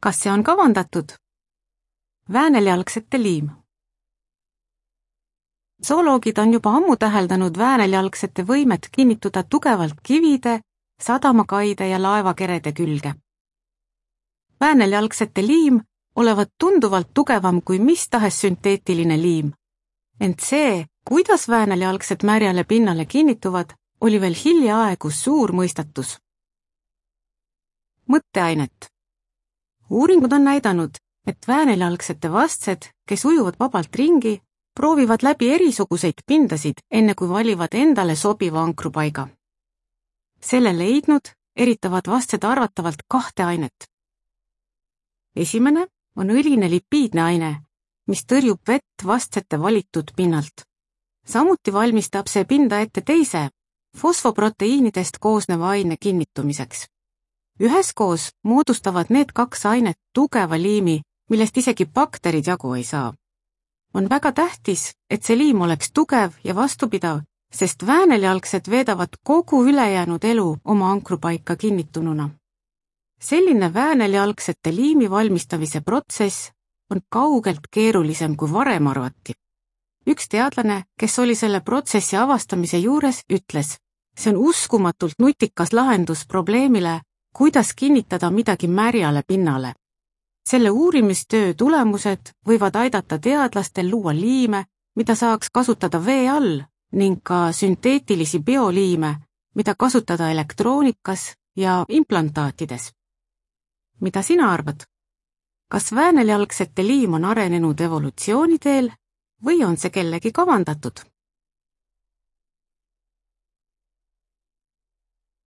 Kas see on kavandatud? Vääneljalgsete liim. Zooloogid on juba ammu täheldanud vääneljalgsete võimet kinnituda tugevalt kivide, sadamakaide ja laevakerede külge. Vääneljalgsete liim olevat tunduvalt tugevam kui mis tahes sünteetiline liim. Ent see, kuidas vääneljalgsed märjale pinnale kinnituvad, oli veel hiljaaegu suur mõistatus. Mõtteainet. Uuringud on näidanud, et vääneljalgsete vastsed, kes ujuvad vabalt ringi, proovivad läbi erisuguseid pindasid, enne kui valivad endale sobiva ankrupaiga. Selle leidnud eritavad vastsed arvatavalt 2 ainet. Esimene on õline lipiidne aine, mis tõrjub vett vastsete valitud pinnalt. Samuti valmistab see pinda ette teise, fosfoproteiinidest koosneva aine kinnitumiseks. Üheskoos moodustavad need 2 ainet tugeva liimi, millest isegi bakterid jagu ei saa. On väga tähtis, et see liim oleks tugev ja vastupidav, sest vääneljalgsed veedavad kogu ülejäänud elu oma ankrupaika kinnitununa. Selline vääneljalgsete liimi valmistamise protsess on kaugelt keerulisem kui varem arvati. Üks teadlane, kes oli selle protsessi avastamise juures, ütles, see on uskumatult nutikas lahendus probleemile, kuidas kinnitada midagi märjale pinnale. Selle uurimistöö tulemused võivad aidata teadlastel luua liime, mida saaks kasutada vee all, ning ka sünteetilisi bioliime, mida kasutada elektroonikas ja implantaatides. Mida sina arvad? Kas vääneljalgsete liim on arenenud evolutsiooniteel või on see kellegi kavandatud?